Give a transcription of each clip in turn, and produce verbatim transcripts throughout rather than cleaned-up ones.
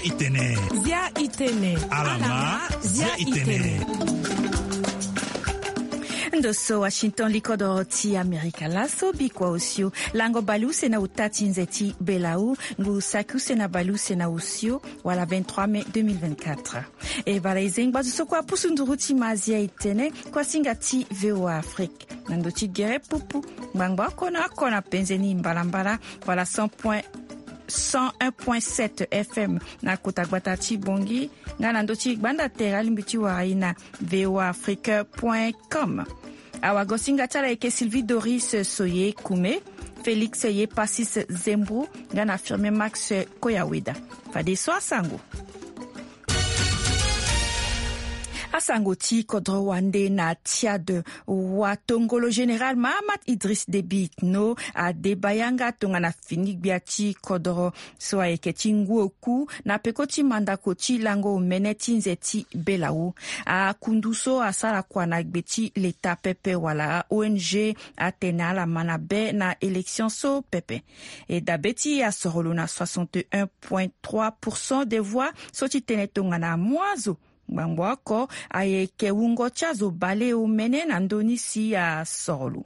Itene. Zia itene. Alama. Zia itene. Ndo so Washington, likodoro ti Amerika laso, bikua osio. Lango baleuse na uta ti nze ti belau, ngu saki use na baleuse na osio, wala vingt-trois mai deux mille vingt-quatre. E bala e zengo gbazo so kue apusu nduru ti mazia itene, kuasinga ti V O A Afrique. Na ndo ti gere pupu, ngbangba oko na oko na penze ni mbalambala, wala cent point, cent un point sept F M na kota gbata ti Bongi, nga na ndo ti gbanda tere alingbi ti wara e na V O A Afrique point com. Awagosinga ti ala ayeke Sylvie Doris Soye Kume, Félix Yepasis Zembro, nga na Firmin Max Koyaweda. Fadeso asango. Asango ti kodro wande na Tchad. Watongolo général Mahamat Idriss Déby Itno adeba yanga tongana fini gbia ti kodro so ayeke ti ngu oku na peko ti mandako ti lango omene ti nze ti belau. Akundu so asara kua na gbe ti leta pepe wala O N G atene ala ma na be na élection so pepe. E dabe ti e asoro lo na soixante et un point trois pour cent des voix so ti tene tongana amu azo. Ngbangbo oko ayeke wungo ti azo baleomene na ndö ni si asoro lo.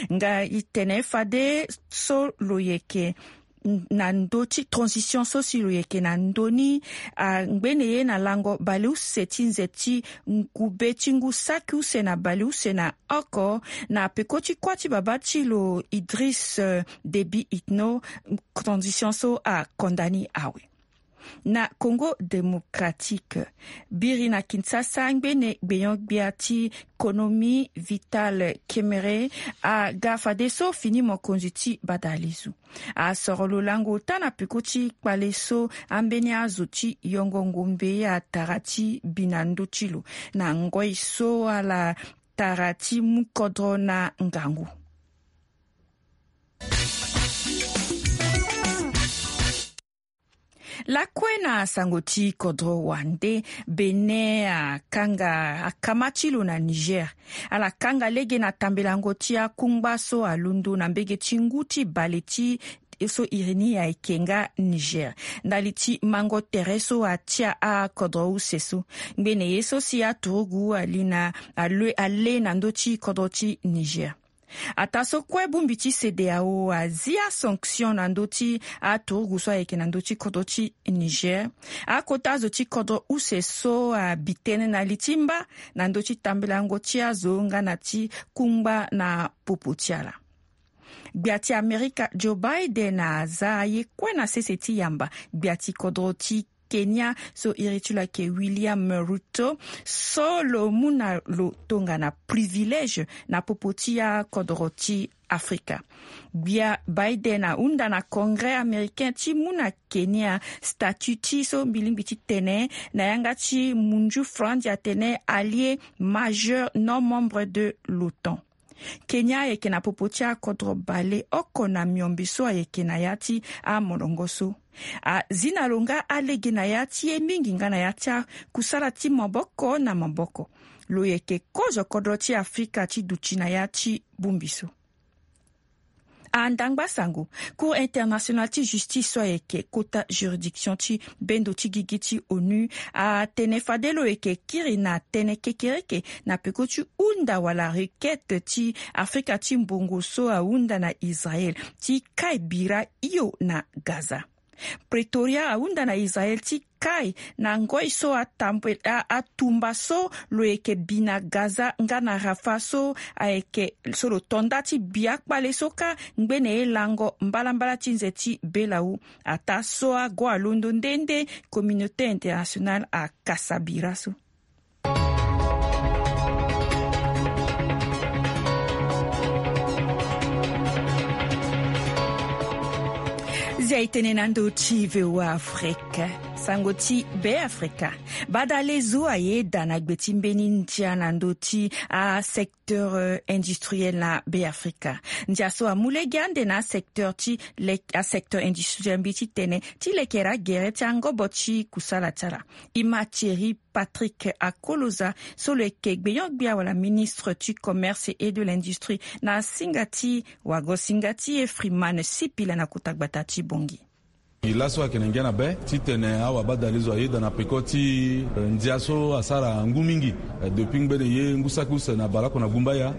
Nga e tene fade so lo yeke na ndö ti transition so si lo yeke na ndö ni, angbene ye na lango baleuse ti nze ti ngube ti ngu saki use na baleuse na oko na peko ti kuâ ti babâ ti lo Idriss, euh, Déby Itno. Transition so akonda ni awe. Na Congo Démocratique, biri na Kinshasa, ngbene gbenyo-gbia ti konomi Vital Kamerhe aga fadeso fini mokonzi ti badalezu. Asoro lo lango ota na peko ti kpale so ambeni azo ti yongo ngombe atara ti bi na ndö ti lo na ngoi so ala tara ti mu kodro na ngangu. Lakue na sango ti kodro wande, Bénin akanga akama ti lo na Niger. Ala kanga lege na tambelango ti akungba so alondo na mbege ti ngu ti bale ti so iri ni ayeke nga Niger. Ndali ti mango tere so atia akodro use so. Ngbene ye so si aturugu ali na ale, ale na ndö ti kodro ti Niger. Ataa so kue bongbi ti CEDEAO azi asanction na ndö ti aturugu so ayeke na ndö ti kodro ti Niger. Akota azo ti kodro use so abi tënë na li ti mba na ndö ti tambelango ti azo nga na ti kungba na popo ti ala. Gbia ti Amerika Joe Biden aza aye kue na sese ti yamba gbia ti kodro ti Kenya so iri ti lo ayeke William Ruto, so lo mu na lo tongana privilège na popo ti akodro ti Afrika. Gbia Biden ahunda na Congrès américain ti mu na Kenya statut ti so mbi lingbi ti tene na yanga ti munju franzi atene allié majeur non membre de l'OTAN. Kenya ayeke na popo ti akodro baleoko na miombe so ayeke na ya ti amolongo so. Azi na lo nga alege na ya ti ye mingi nga na ya ti akusala ti maboko na maboko. Lo yeke kozo kodro ti Afrika ti duti na ya ti bongbi so. Andangba sango, Cour internationale ti justice so ayeke kota juridiction ti bendo ti gigi ti ONU atene fade lo yeke kiri na tënë kekereke na peko ti hunda wala requête ti Afrika ti mbongo so ahunda na Israël ti kai bira hio na Gaza. Pretoria ahunda na Israël ti kai na ngoi so atambue, a, atumba so lo yeke bi na Gaza nga na Rafah so ayeke so lo to nda ti bi akpale so kâ ngbene ye lango mbalambala ti nze ti belau. Ataa so ago alondo nde nde, communauté internationale akasa bira so. Zia e tene na ndö ti V O A Afrique, sango ti Be Afrika. Badalezo ayeda na gbe ti mbeni ndia na ndö ti asecteur, euh, industriel na Be Afrika. Ndia so amu lege ande na asecteur ti le, asecteur industriel mbi ti tene ti lekere agere ti angobo ti kusala ti ala. E ma Thierry Patrick Akoloza so lo yeke gbenyo-gbia wala ministre ti commerce et de l'industrie na singa ti wago singa ti e Freeman Sipila na kota gbata ti Bangui. Laso ayeke na ngia na be titene awabadalezo ayeda na peko ti, eh, ndia so asara ngu mingi, eh, depuis ngbene ye ngu saki use na baleoko na gumbaya,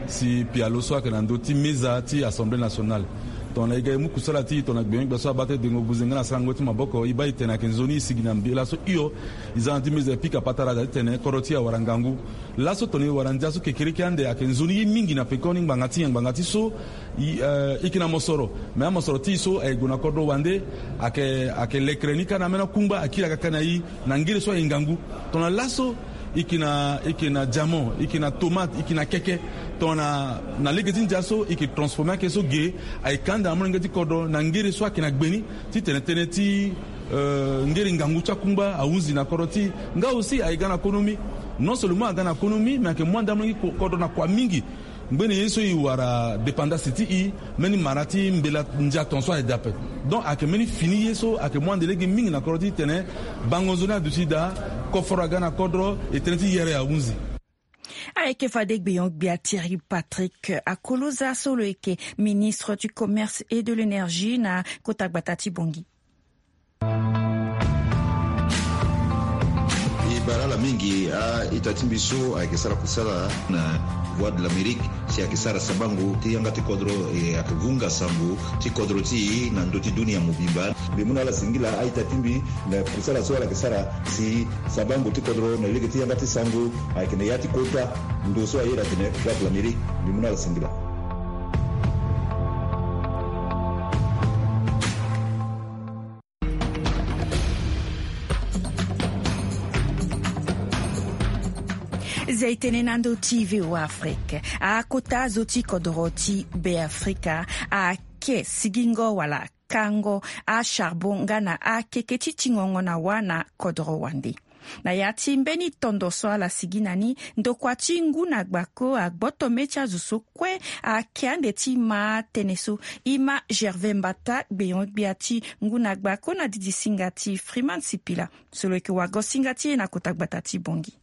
si pialo so ayeke na ndö ti meza ti Assemblée nationale. Tongana e ga e mu kusala ti e tongana gbenyo-gbia so abaa ti dengo buze nga na sarango ti maboko, e baa e tene ayeke nzoni e sigi na mbela so hio. E za na ti meza e pika patara da titene kodro ti e awara ngangu. Laso tongana e wara ndia so kekereke ande ayeke nzoni ye mingi na pekoni ngbanga ti nyen? Ngbanga ti so e, eh, e yeke na mosoro. Me amosoro ti e so aye gue na kodro wande, ayeke, ayeke lekere ni kâ na ambeni akungba akiri akaka na e na ngere so aye ngangu. Tongana laso e yeke na, e yeke na diamant, e yeke na tomate, e yeke na keke. Tongana na lege ti ndia so e yeke transformer ake so ge, aye ka ande na molenge ti kodro na ngere so ayeke na gbe ni. Titene tënë ti, eh, ngere ngangu ti akungba ahunzi na kodro ti e. Nga aussi aye ga na konomi. Non seulement aga na konomi, me ayeke mu ande amolenge ti ko-, kodro na kua mingi. Ngbene ye so e wara dépendance ti e, mbeni mara ti mbela ndia tongaso aye daa ape. Donc ayeke mbeni fini ye so ayeke mu ande lege mingi na kodro ti e titene bango nzoni aduti daa, koforo aga na kodro, e tënë ti yere ahunzi. Ayeke fade gbenyo-gbia Thierry Patrick Akoloza so lo yeke ministre du commerce et de l'énergie na kota gbata ti Bangui. E bara ala mingi a-ita ti mbi so ayeke sara kusala na Voix de l'Amérique, si ayeke sara sabango ti yanga ti kodro, e ayeke vunga sango ti kodro ti e na ndö ti dunia mobimba. Mbi mu na ala singila a-ita ti mbi na kusala so ala yeke sara si sabango ti kodro na lege ti yanga ti sango ayeke na ya ti kota ndo so ayeda atene Voix de l'Amérique. Mbi mu na ala singila. Zia e tene na ndö ti V O A Afrique. Akota zo ti kodro ti Beafrika ayeke sigingo wala kango acharbon nga na akeke ti tingongo na wâ na kodro wande. Na ya ti mbeni tondo so ala sigi na ni, ndokua ti ngu na gbako agboto mê ti azo so kue ayeke ande ti ma tënë so. E ma Gervais Mbata, gbenyo-gbia ti ngu na gbako na didi singa ti Freeman Sipila so lo yeke wago singa ti e na kota gbata ti Bangui.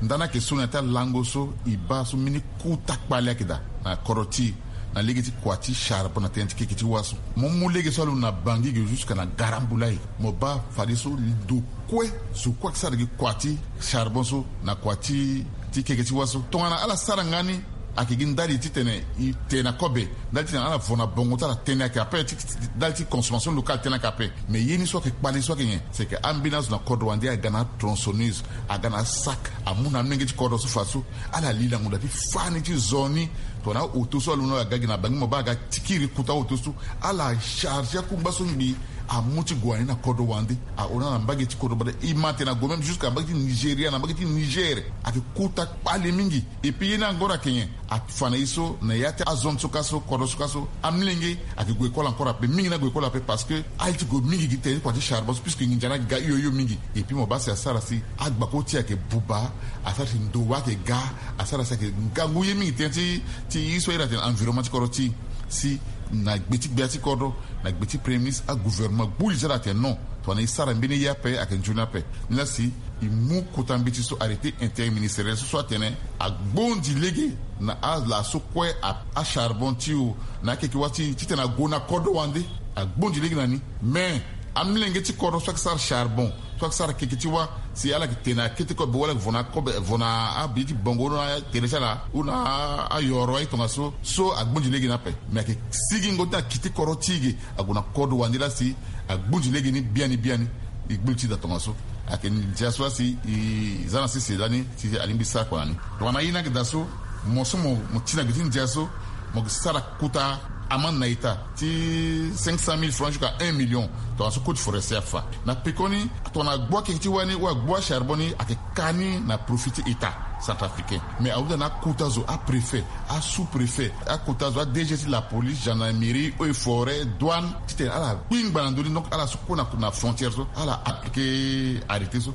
Ndani ayeke so na ya ti alango so e baa so mbeni kuta kpale ayeke daa na kodro ti e na lege ti kua ti charbon na tënë ti keke ti wâ so. Mo mu lege so alondo na Bangui ge jusque na Garambulay, mo baa fadeso ndo kue zo kue ayeke sara gi kua ti charbon so na kua ti, ti keke ti wâ so. Tongana ala sara nga ni, ayeke gi ndali titene e te na kobe, ndali titene ala vo na bongo ti ala tënë ayeke ape, ti, ti, ndali ti consommation locale tënë ayeke ape. Mais ye ni so ayeke kpale so ayeke nyen? C'est que ambeni azo na kodro wande aga na atronçonneuse, aga na asac, amu na amolenge ti kodro so fa so ala li na ngonda ti fani ti zo ni. Tongana aoto so alondo aga gi na Bangui, mo baa aga ti kiri kuta aoto so, ala charge akungba so ngbii amu ti gue na ni na kodro wande. Ahon na ala mbage ti kodro bada, e ma tene ague même jusque na mbage ti Nigeria, na mbage ti Niger. Ayeke kuta kpale mingi. Et puis ye ni angoro ayeke nyen? Afa na e so na ya ti azone so ka so, kodro so ka so, amolenge ayeke gue école encore ape, mingi ni ague école ape parce que aye ti gue mingi gi tene ti kua ti charbon so, puisque nginza ni aga hio hio mingi. Et puis mo baa si asara si agbako ti e ayeke buba, asara si ndo wâ ayeke ga, asara si ayeke ngangu ye mingi tënë ti, ti ye so ayeke na tene environnement ti kodro ti e. Si na gbe ti gbia ti kodro, na gbe ti premier ministre, agouvernement gbu li ti ala atene non, tongana e sara mbeni ye ape ayeke nzoni ape. Ni laa si e mu kota mbeti so, arrêté interministériel so, so atene agbondi lege na ala so kue a, acharbon ti e o, na akeke wâ ti e, titene ague na kodro wande, agbondi lege na ni. Mais amolenge ti kodro so ayeke sara charbon, so ayeke sara keke ti wâ, si ala yeke te na akete kobe, wala vo na kobe, vo na abi ti bongo, na tere ti ala, ou na ayoro aye tongaso, so agbondi lege ni ape. Mais ayeke sigingo ti akiti kodro ti e ge, ague na kodro wande laa si agbondi lege ni biani biani. E gbu li ti e daa tongaso. Ayeke ndia so laa si e za na sese lani si alingbi sara kua na ni. Tongana ye ni ayeke daa so, mo so mo, mo ti na gbe ti ndia so, mo yeke sara kuta amande na ita ti cinq cent mille francs jusqu'à un million. Tongana so code forestier afa. Na pekoni, tongana agbu akeke ti wâ ni ou agbu acharbon ni, ayeke ka ni na profit ti État centrafricain. Mais ahunda na akuta zo, apréfet, asous-préfet, akuta zo, a DG ti la police, gendarmerie, eaux et forêts, douane, titene ala kpingba na ndö ni. Donc ala so kue na, na frontière so, ala appliquer arrêté so.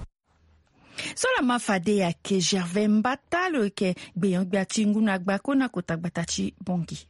So laa ma fade ayeke Gervais Mbata, lo yeke gbenyo-gbia ti ngu na gbako na kota gbata ti Bangui.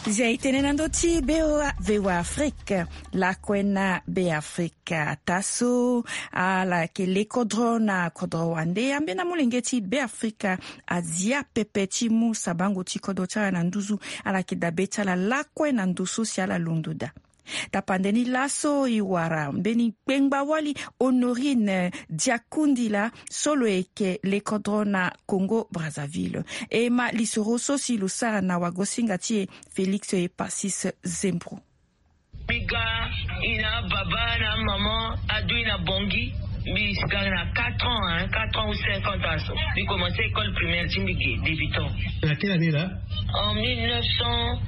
Zia e tene na ndö ti Beafrika, lakue na Beafrika. Ataa so ala yeke le kodro na kodro wande, ambeni amolenge ti Beafrika azia pepe ti mu sabango ti kodro ti ala na nduzu. Ala yeke dabe ti ala lakue na ndo so si ala londo daa. Tapande ni laso e wara mbeni kpengba-wali Honorine Diakundila so lo yeke le kodro na Congo Brazzaville. E ma lisoro so si lo sara na wagosinga ti e Félix Epasis Zembro. Mbi ga, i na ababa na amama adu i na Bangui. Mbi si ga na quatre ans, hein, quatre ans ou cinq ans, aso mbi commencé école primaire ti mbi ge, débutant. Na quelle année là? En mille neuf cent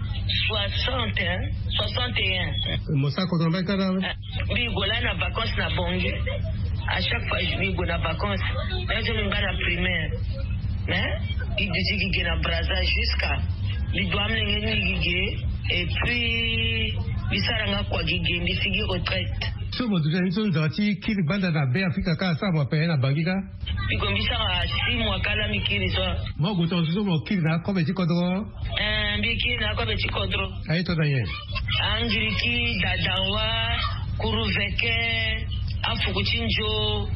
soixante, hein, soixante et un. Mo sara kodro na mbage kâ la? Mbi gue laa na vacances na Bangui. À chaque fois mbi gue na vacances, même so mbi baa na primaire. Mais mbi duti gi ge na Brazza jusqu'à mbi du amolenge ni gi ge. Et puis mbi sara nga kua gi ge, mbi sigi retraite. So mo duti na ni so nzara ti kiri gbanda na Beafrika kâ asara mo ape na Bangui kâ? Mbi gue mbi sara six mois kâ laa mbi kiri so. Mo gue tongaso so mo kiri na akobe ti kodro? Eh, mbi kiri na akobe ti kodro. Aye tongana nyen? Angiriki, Dadanwa, Kuruveke, Afuku ti Nzo,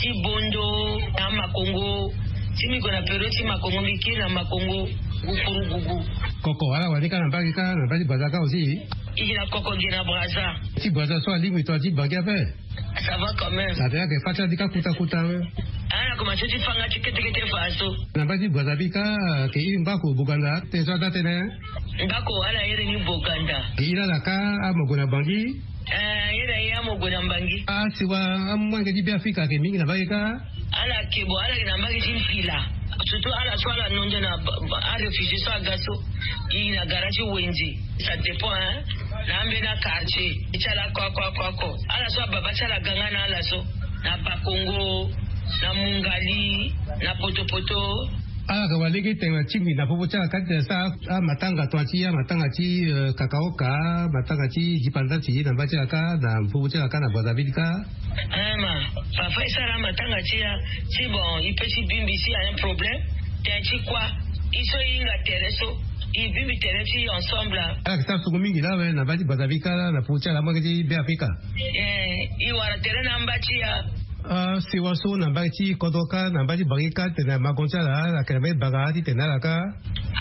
ti Bondo, na Makongo. Ti mbi gue na période ti Makongo, mbi kiri na Makongo, Gukurugugu. Koko ala wani kâ na mbage kâ, na mbage ti Brazza kâ aussi? I gi na koko gi na Brazza. Ti Brazza so alingbi tongana ti Bangui ape? Ça va quand même. Atene ayeke fâ ti ala ni kâ kuta kuta. Ah, na komanse ti fâ nga ti kete kete fa so. Na mbage ti Brazza bi kâ, ayeke iri ngbako Boganda, tënë so ada tënë. Ngbako ala iri ni Boganda. Iri ala kâ, amo gue na Bangui. Eh, iri aye amo gue na Bangui. Asiwa amolenge ti Beafrika ayeke mingi na mbage kâ? Ala yeke, bon, ala yeke na mbage ti mpila. Surtout ala so ala nondo na ba, ba, aréfugié so aga so. I na gara ti wenze. Ça dépend, hein. Na ambeni quartier ti ala ko, ko, ko, ko. Ala so ababa ti ala ga nga na ala so. Na Bakongo, na Mungali, na Potopoto. Ala yeke wara lege tene na tingbi na popo ti ala kâ ti tene sara amatanga tongana ti amatanga ti, eh, kakaoka, matanga ti dipandati na mbage ti ala kâ, na popo ti ala kâ na Brazzaville kâ. Eh, ma, parfois e sara amatanga ti ya, ti bon, e peut ti bingbi si a un problème, tene ti kua, e so e hinga tere so, e bingbi tere ti ensemble. Ala yeke sara sungu mingi laa awe na mbage ti Brazzaville kâ laa na popo ti ala amolenge ti Beafrika. Eh, e wara tere na amba ti ya. Ah, sewa so na mbage ti kodro kâ, na mbage ti Bangui kâ, tene makongo ti ala, ala yeke na mbage ti Bangui titene ala kâ.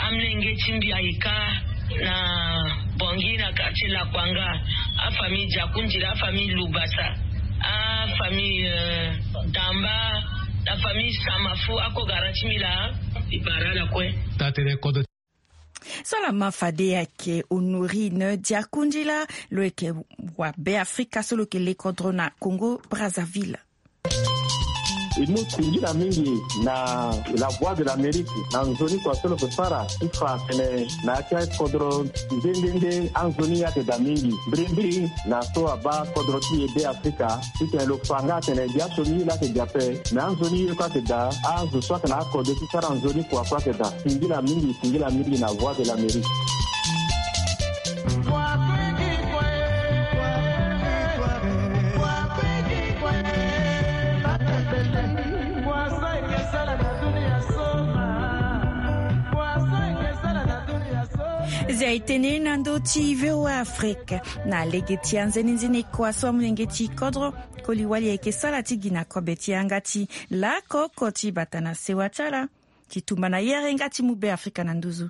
Amolenge ti mbi aye kâ na Bangui na quartier Lakwanga, afamille Diakundila, afamille Lubasa, afamille, euh, Damba, na famille Samafu, ako gara ti mbi laa, e bara ala kue. Taa tënë kodro. So ala ma fade ayeke Honorine Diakundila, lo yeke wa Beafrika so lo yeke le kodro na Congo Brazzaville. E mu singila mingi na La Voix de l'Amérique na nzoni kua so lo yeke sara ti fa atene na ya ti akodro nde nde nde anzoni ayeke daa mingi. Mbirimbiri na so abaa kodro ti e Beafrika, titene lo fa nga atene gi aso ni ye laa ayeke gi ape, me anzoni ye kue ayeke daa, azo so ayeke na akode ti sara nzoni kua kue ayeke daa. Singila mingi, singila mingi na Voix de l'Amérique. Zia e tene na ndö ti V O A Afrique. Na lege ti anzenenzene kua so amolenge ti kodro, koli-wali ayeke sara ti gi na kobe ti yanga ti lako oko ti bata na sewa ti ala ti tumba na yere nga ti mu Beafrika na nduzu.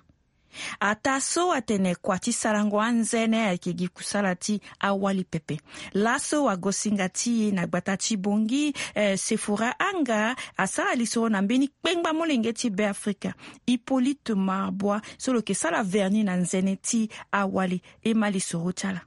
Ataa so atene kua ti sarango anzene ayeke gi kusala ti awali pepe. Laso wagosinga ti e na gbata ti Bangui, eh, Sephora Anga, asara lisoro na mbeni kpengba molenge ti Beafrika, Hippolyte Marbois, so lo yeke sara vernis na nzene ti awali. E ma lisoro ti ala.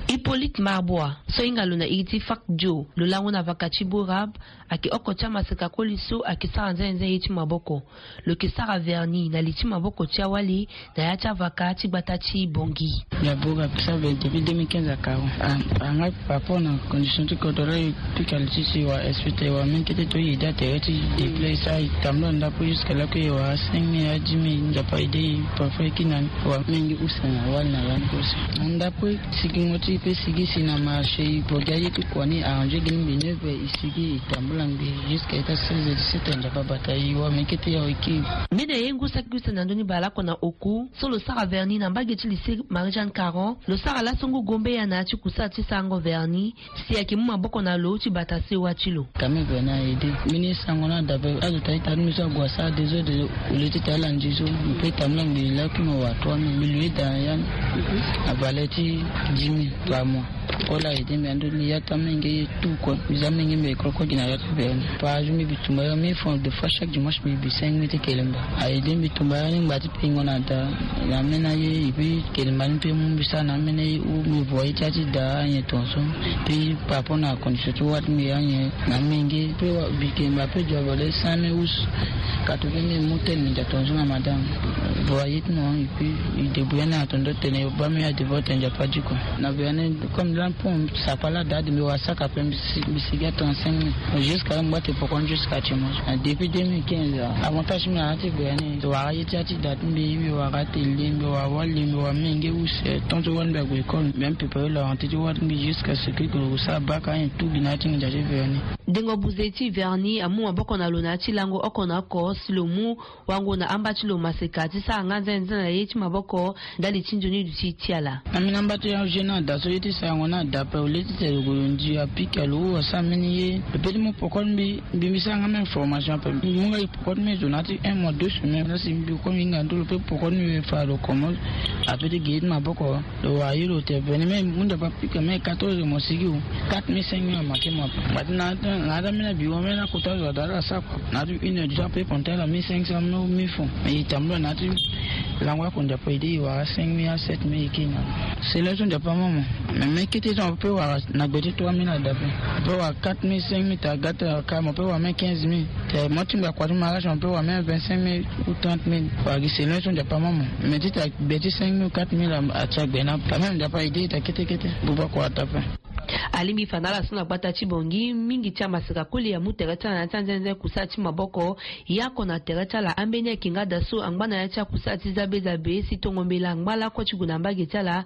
Hippolyte Marbois, so ahinga lo na iri ti Fak Dio, lo lango na vaka ti Borab, ayeke oko ti amaseka koli so ayeke sara nzenenze ye ti maboko. Lo yeke sara vernis na li ti maboko ti awali na ya ti avaka ti gbata ti Bangui. Ya Borab, ça fait depuis deux mille quinze à Caron. Ah, ah, nga par rapport na condition ti kodro la, e pika li ti si wa expecté wa même kete to e aidé atere ti déplacer, e tambula ndapo jusqu'à là que e wara cinq mille à dix mille, Nzapa aidé e, parfois e kiri na ni. Wa mingi use na wali na lani aussi. Na ndapo e sigi Ti e pe sigi si na marché, e bogi aye ti kua ni, arrangé gi ni mbi neuf heures, e sigi e tambula ngbii jusqu'à ita seize heures, dix-sept heures, Nzapa abata e, e wara mbi kete ya e kiri. Mbeni aye ngu saki use na ndö ni bale oko na oku so lo sara vernis na mbage ti lycée Marie-Jeanne Caron, lo sara laso ngu gombe ya na ya ti kusala ti sarango vernis. Si ayeke mu maboko na lo ti bata sewa ti lo. Ka mbi vena aide. Mbeni sango ni ada ape, azo ta ita ni mbi so ague asara désordre. Au lieu ti ta ala nzi so, mbi pe tambula mbi laki mo wa trois mille, mbi lui da ya ni na valeur ti dix mille par mois. Kol aide mbi ando mbi ya ti amenge ye tout kue. Mbi za amenge mbi ye kroko gi na ya ti veni. Par jour mbi bi tumba ya mille francs, deux fois chaque dimanche mbi bi cinq mille ti kelemba. Aide mbi tumba ya ni ngba ti pingo na da. Na ameni aye, et puis kelemba ni mpe mu mbi sara na ameni aye ou mbi voye ti ya ti da anyen tongaso. Puis par rapport na condition ti wâ ti mbi anyen na amenge, mpe wa- mbi kelemba mpe dio abale cent mille ou quatre-vingt mille mu tene mbi ndia tongaso na madame. Voye ti mo, et puis e débrouiller na tongaso tene bâ mbi ya devoir tene Nzapa adi kua. Na veni, comme là, pour sakpa la date, mbi wara sac à pain, mbi si- mbi sigi a trente-cinq mille. Jusqu'à là, mbi bâ ti poko ni jusqu'à dimanche. Na depuis deux mille quinze, avantage ti mbi na ya ti veni, wara ye ti ya ti da ti mbi, mbi wara télé, mbi wara wali, mbi wara menge use, tant ti wali mbi ague école, mbi préparer la rentrée ti wali ti mbi jusqu'à ce que lo sara bac, ayen tout gi na ya ti nginza ti veni. Dengo buze ti vernis amu maboko na lo na ya ti lango oko na oko si lo mu wango na amba ti lo maseka ti sara nga nzene nzene na ye ti maboko ndali ti nzoni duti ti ala. Na mbi na amba ti ajeune ni ada so ye ti sarango ni ada ape, au lieu ti tene lo gue lo nzi apika lo ou asara mbeni ye, lo pe ti mu poko ti mbi, mbi mbi sara nga même formation ape. Mbi mu nga e poko ti mbi zo na ya ti un mois, deux semaines. Na si mbi komi hinga ndo lo pe poko ti mbi fa lo komo ape ti ge ye ti maboko. Lo wara ye lo te veni même mu nda pa pika même quatorze mo sigi o. Quatre mille, cinq mille amanke mo ape. Ngba ti na na na mena bi wa mena kota zo ada ala sa kua. Na tu une heure du temps pe konte ala mille cinq cent mille mille francs. Mais e tambula na tu lango ako Nzapa ede e wara cinq mille à sept mille e ke na. C'est là so Nzapa mama. Mais mais kete so pe wara na gbe ti trois mille ada pe. Pe wara quatre mille, cinq mille ta gata ka mo pe wara même quinze mille. Te mo ti ngba kua ti mariage mo pe wara même vingt-cinq mille ou trente mille. Wara gi c'est là so Nzapa mama. Mais ti ta gbe ti cinq mille ou quatre mille a- ati agbe na. Quand même Nzapa ede ta kete kete. Buba kua ata pe. Alingbi fa na ala so na gbata ti Bangui mingi ti amaseka koli amu tere ti ala na ya ti anzenze kusala ti maboko. Ye oko na tere ti ala ambeni ayeke nga daa so angba na ya ti akusala ti zabe zabe si tongo mbela angba lakue ti gue na mbage ti ala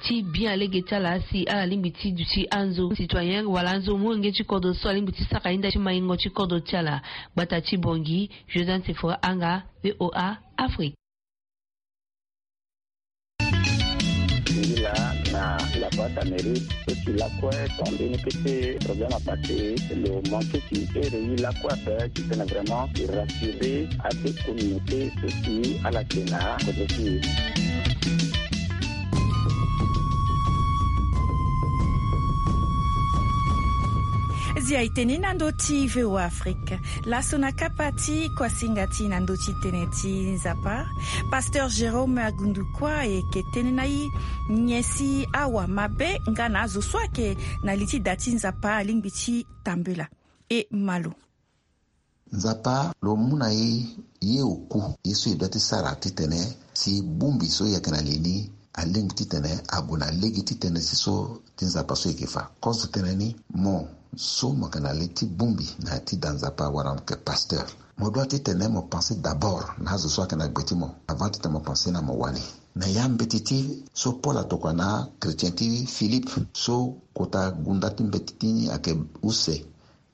ti bien lege ti ala si ala lingbi ti duti anzo citoyen wala anzo molenge ti kodro so alingbi ti sara ye nda ti maingo ti kodro ti ala. Gbata ti Bangui, Josiane Sephora Anga, VOA Afrique. Singila na la boîte à mérite so si lakue ton mbeni kete problème apassé lo manqué ti ere ye lakue ape ti tene vraiment e rassurer ade communauté so si ala yeke na kodro ti e. Zia e tene na ndö ti VOA Afrique. Laso na kapa ti kuasinga ti na ndö ti tene ti Nzapa, Pasteur Jérôme Agundukua ayeke tene na e nyen si awa mabe nga na azo so ayeke na li ti da ti Nzapa alingbi ti tambula. E ma lo. Nzapa lo mu na e ye oku ye so e doit ti sara titene si bongbi so e yeke na li ni alingbi titene ague na lege ti tënë ti so ti Nzapa so e yeke fa. Kozo tënë ni, mo so mo yeke na li ti bongbi na ya ti da Nzapa wala mo yeke pasteur, mo doit titene mo pense d'abord na azo so ayeke na gbe ti mo avant titene mo pense na mo wani. Na ya mbeti ti so Paul atokua na achrétien ti Philippe so kota gunda ti mbeti ti ni ayeke use,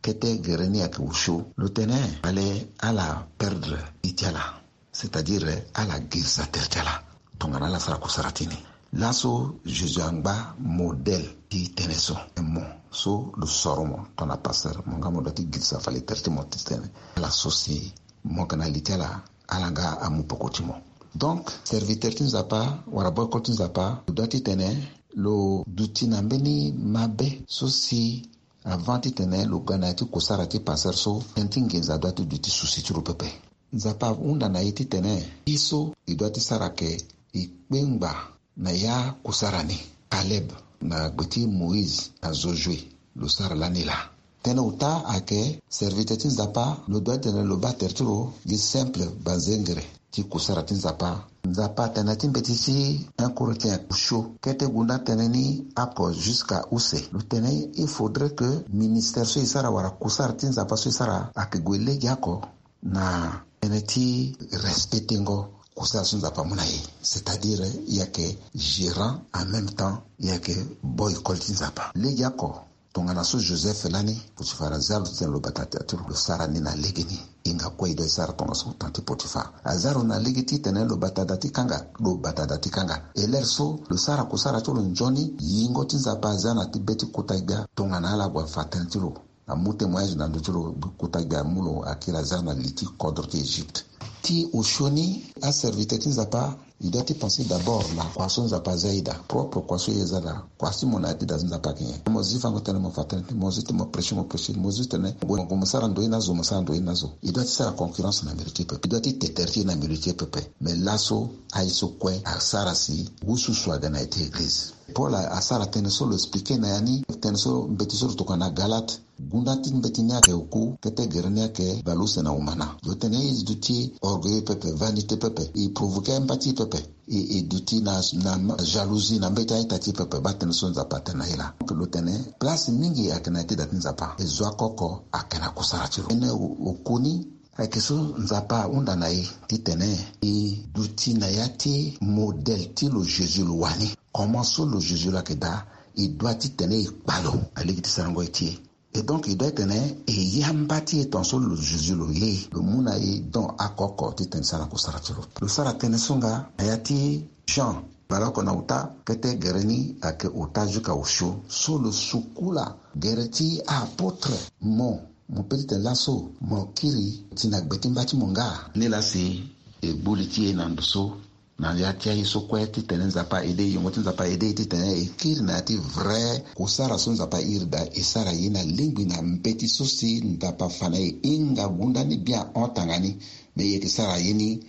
kete gere ni ayeke osio. Lo tene fale ala perdre li ti ala, c'est-à-dire ala girisa tere ti ala tongana ala sara kusara ti ni. Laso Jésus angba modèle ti tënë so. Mo so lo soro mo tongana pasteur, mo nga mo doit ti girisa fale tere ti mo ti tene ala so si mo yeke na li ti ala, ala nga amu peko ti mo. Donc serviteur ti Nzapa wala boycott ti Nzapa lo doit titene lo duti na mbeni mabe so si avant titene lo ga na ya ti kusara ti pasteur so, tënë ti nginza doit ti duti souci ti lo pepe. Nzapa ahunda na e titene ye so e doit ti sara ayeke e kpengba na ya kusara ni. Caleb na gbe ti Moïse na Josué lo sara lani laa. Tënë ota ayeke serviteur ti Nzapa lo doit titene lo baa tere ti lo gi simple banzengere ti kusara ti Nzapa. Nzapa atene na ya ti mbeti ti un Corinthiens osio kete gunda tënë ni oko jusqu'à use. Lo tene il faudrait que ministère so e sara wala kusara ti Nzapa so e sara ayeke gue lege oko na tënë ti respectengo Kusara so Nzapa amu na e, c'est-à-dire e yeke gérant, en même temps e yeke boy école ti Nzapa. Legeoko, tongana so Joseph lani, Potifara aza lo titene lo bata da ti lo, lo sara ni na legeni. Hinga kue e doit e sara tongaso, temps ti Potifara aza lo na lege titene lo bata da ti kanga, lo bata da ti kanga. E lere so lo sara kusara ti lo nzoni, yingo ti Nzapa aza na ti be ti kota gbia tongana ala gue afa tënë ti lo. Amu témoignage na ndö ti lo, kota gbia amu lo akiri aza na li ti kodro ti Egypte. Ti osio ni, aserviteur ti Nzapa, e doit ti penser d'abord na kua so Nzapa aza e daa, propre kua so e aza daa, kua si mo na ya ti daa so Nzapa ayeke nyen. Mo zi fango tënë, mo fa tënë, mo zi ti mo prêcher, mo prêcher, mo zi tene mo gue mo sara ndo ye na zo, mo sara ndo ye na zo. E doit ti sara concurrence na milieu ti e pepe, e doit ti te tere ti e na milieu ti e pepe. Mais laso aye so kue asara si wususu aga na ya ti église. Paul asara tënë so lo expliquer na ya ni, tënë so mbeti so lo tokua na Galate. Gunda ti mbeti ni ayeke oku, kete gere ni ayeke bale use na umana. Lo tene e duti orgueilleux pepe, vanité pepe, e provoquer amba ti e pepe, e, e duti na, na jalousie na mbeti a-ita ti e pepe. Baa tënë so Nzapa atene na e laa. Donc lo tene place mingi ayeke na ya ti da ti Nzapa. E zo oko oko ayeke na kusara ti lo. Tënë o-, oku ni ayeke so Nzapa ahunda na e titene e duti na ya ti modèle ti lo Jésus lo wani. Comment so lo Jésus lo ayeke daa, e doit titene e kpa lo na lege ti sarango ye ti e. Et donc e doit titene e ye amba ti e tongaso lo Jésus lo ye, lo mu na e don oko oko titene e sara kusara ti lo. Lo sara tënë so nga na ya ti Jean, baleoko na ota, kete gere ni ayeke ota jusqu'à osio, so lo sukula gere ti a-apôtre. Mo, mo pe titene laso mo kiri ti na gbe ti mba ti mo nga? Nilaa si e gbu li ti e na ndo so, na ya ti aye so kue titene Nzapa aide e, yongo ti Nzapa aide e titene e kiri na ya ti vrai kusara so Nzapa airi daa, e sara ye na lingbi na mbeti so si Nzapa afa na e. Hinga gunda ni bien ahon tanga ni, me e yeke sara ye ni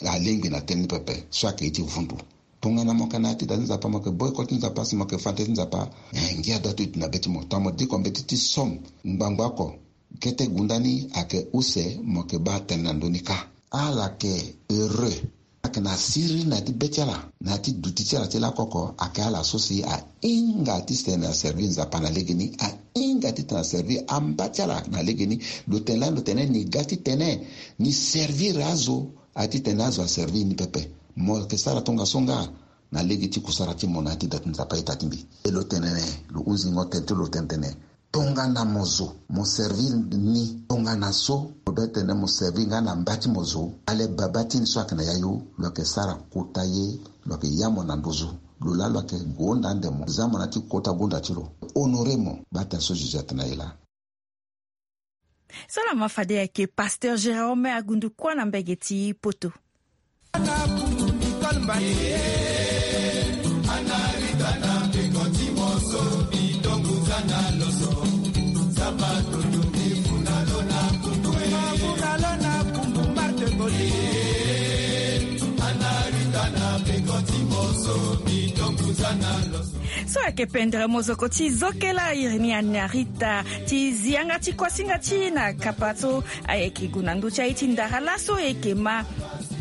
alingbi na tënë ni pepe so ayeke ye ti vundu. Tongana mo yeke na ya ti da ti Nzapa, mo yeke boy école ti Nzapa, si mo yeke fa tënë ti Nzapa, eh, ngia doit ti duti na be ti mo. Tongana mo diko mbeti ti somme ngbangba oko, kete gunda ni ayeke use, mo yeke baa tënë na ndö ni kâ. Ala yeke heureux. Ayeke na siriri na ya ti be ti ala, na ya ti duti ti ala ti lakoko, ayeke ala so si ahinga titene aservir Nzapa na legeni, ahinga titene aservir amba ti ala na legeni. Lo tene lani, lo tene ni ga titene ni servir azo, a titene azo aservir ni pepe. Mo yeke sara tongaso nga na lege ti kusara ti mo na ya ti da ti Nzapa a-ita ti mbi. E lo tene ni, lo hunzingo tënë ti lo tene tene, tongana mo zo, mo servir ni, tongana so mo doit titene mo servir nga na mba ti mo zo, ale baba ti ni so ayeke na yayu, lo yeke sara kota ye, lo yeke ya mo na nduzu. Lo laa lo yeke gonda ande mo, za mo na ya ti kota gonda ti lo, honorer mo. Baa tënë so Jésus atene na e laa. So na ma fade ayeke Pasteur Jérôme Agundukua na mbage ti Poto. So ayeke pendere mozoko ti zokela iri ni Anarita ti zi yanga ti kuasinga ti e na kapa so ayeke gue na ndö ti aye ti ndara laso e yeke ma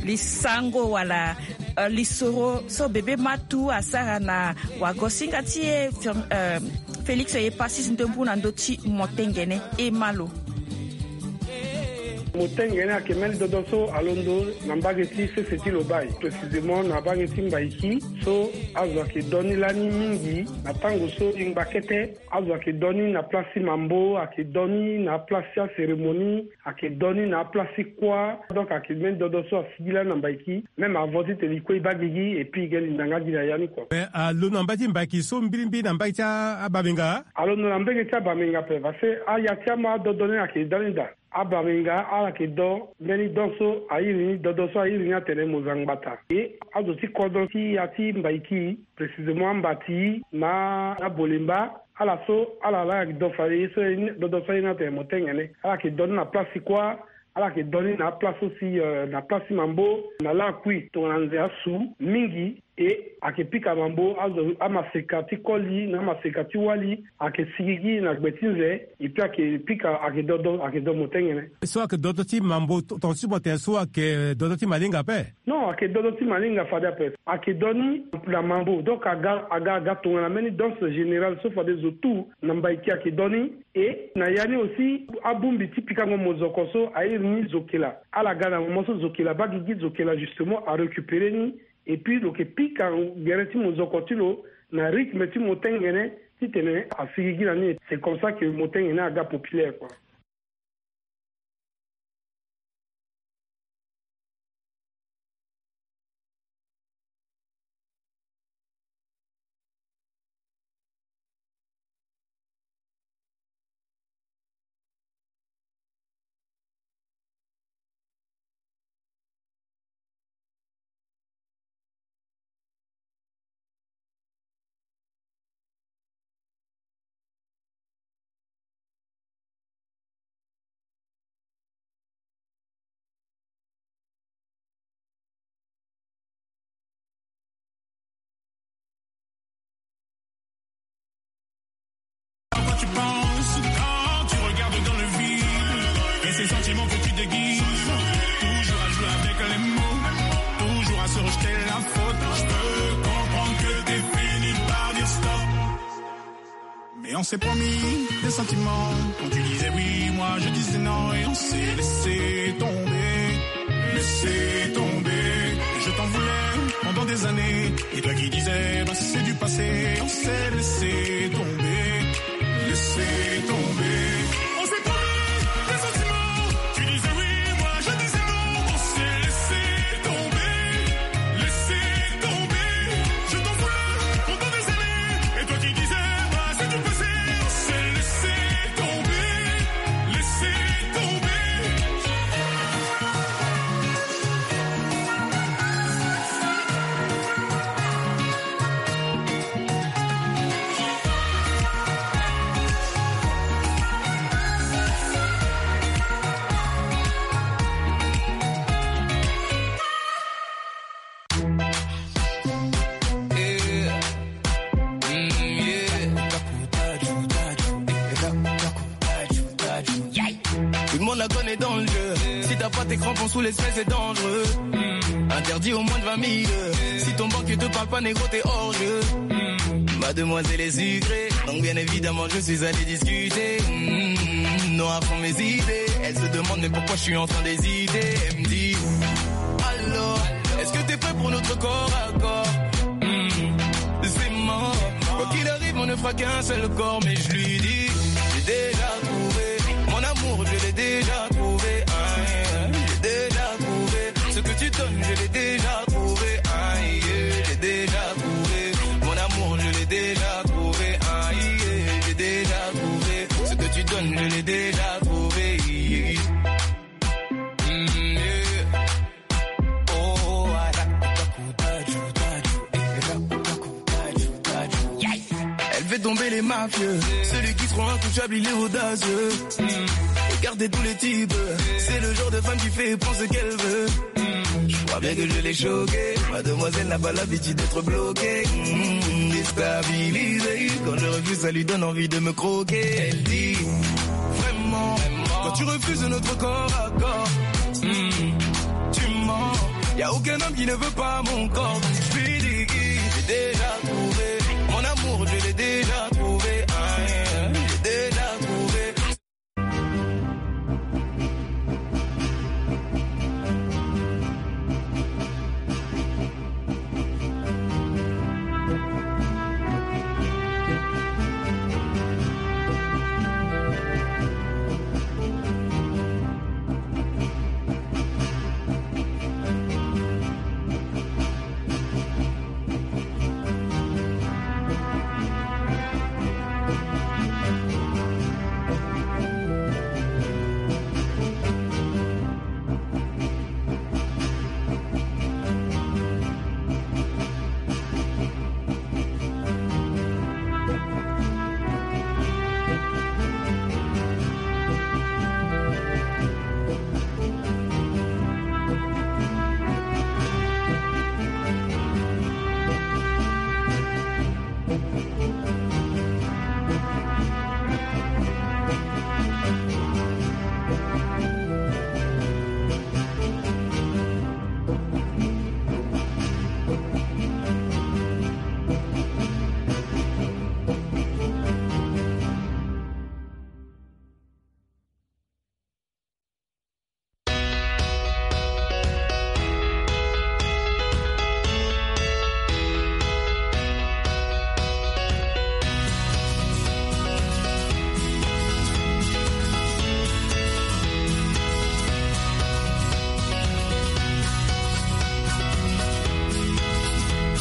lisango wala, eh, lisoro so bebe matu asara na wagosinga ti e, Fir-, eh, Félix Epasis Ndombu na ndö ti motengene. E ma lo. Motengene ayeke mbeni dodo so alondo na mbage ti sese ti Lobaye, précisément na mbage ti Mbaiki, so azo ayeke do ni lani mingi na tango so e ngba kete. Azo ayeke do ni na place ti mambo, ayeke do ni na place ti acérémonie, ayeke do ni na place ti kuâ. Donc ayeke mbeni dodo so asigi lani na Mbaiki. Même avant titene e kue e baa gigi, et puis e ga e linda nga gi na ya ni kua. Mais alondo na mbage ti Mbaiki so mbirimbiri na mbage ti a-, abamenga? Alondo na mbage ti abamenga ape, parce que aya ti ama adodo ni ayeke da ni daa. Abamenga ala yeke do mbeni don so a iri ni, dodo so a iri ni atene Mozangbata. E azo ti kodro ti ya ti Mbaiki, précisément Ambati na Abolemba, ala so ala laa ayeke do fade ye so, dodo so a iri ni atene Motengene. Ala yeke do ni na place ti kuâ, ala yeke do ni na aplace so si, euh, na place ti mambo, na lakui tongana nze asu mingi. E ayeke pika mambo, azo amaseka ti koli na amaseka ti wali ayeke sigigi na gbe ti nze. Et puis ayeke pika, ayeke dodo, ayeke do Motengene. So ayeke dodo ti mambo, ton-, tongaso ti mo tene so ayeke dodo ti malinga ape? Non, ayeke dodo ti malinga fade ape. Ayeke do ni na mambo, donc aga, aga, aga tongana mbeni danse générale so fade zo tout na Mbaiki ayeke do ni. Et na ya ni aussi, abongbi ti pikango mozoko so airi ni zokela, ala ga na moment so zokela baa gigi, zokela justement arécupérer ni. Et puis lo yeke pika gere ti mozoko ti lo na rythme ti motengene, titene asigi gi na ni. C'est comme ça que motengene aga populaire, quoi. Quand tu penses, quand tu regardes dans le vide, et ces sentiments que tu déguises, toujours à jouer avec les mots, toujours à se rejeter la faute. Je peux comprendre que t'es fini par dire stop. Mais on s'est promis des sentiments. Quand tu disais oui, moi je disais non. Et on s'est laissé tomber, laissé tomber. Je t'en voulais pendant des années. Et toi qui disais, bah, c'est du passé. On s'est laissé tomber, laissé tomber. On s'est promis des sentiments. Tu disais oui, moi je disais non. On s'est laissé tomber, laissé tomber. Je t'en voulais pendant des années. Et toi qui disais, bah, c'est du passé. On s'est laissé tomber, laissé tomber. Tout le monde la connaît dans le jeu. Si t'as pas tes crampons sous les semelles, c'est dangereux. Interdit au moins de vingt mille. Si ton banquier te parle pas, négro, t'es hors jeu. Ma demoiselle est sucrée, donc bien évidemment je suis allé discuter. Hmm, noir sont mes idées. Elle se demande mais pourquoi je suis en train d'hésiter. Elle me dit, alors, est-ce que t'es prêt pour notre corps à corps? Hmm, c'est mort. Quoi qu'il arrive, on ne fera qu'un seul corps, mais je lui dis, j'ai déjà trouvé mon amour, je l'ai déjà trouvé. Ah, j'ai déjà trouvé ce que tu donnes, je l'ai déjà trouvé. Ah, yeah, j'ai déjà trouvé mon amour, je l'ai déjà trouvé. Ah, yeah, j'ai déjà trouvé ce que tu donnes, je l'ai déjà trouvé. Yeah. Mm, yeah. Oh, ah, elle veut tomber les mafieux. Celui qui se croit intouchable, il est audacieux. Et garder tous les types. C'est le genre de femme qui fait prendre ce qu'elle veut. Je crois bien que je l'ai choquée. Ma demoiselle n'a pas l'habitude d'être bloquée. Hmm, déstabilisée. Quand je refuse, ça lui donne envie de me croquer. Elle dit, vraiment, quand tu refuses notre corps à corps, hmm, tu mens. Y a aucun homme qui ne veut pas mon corps.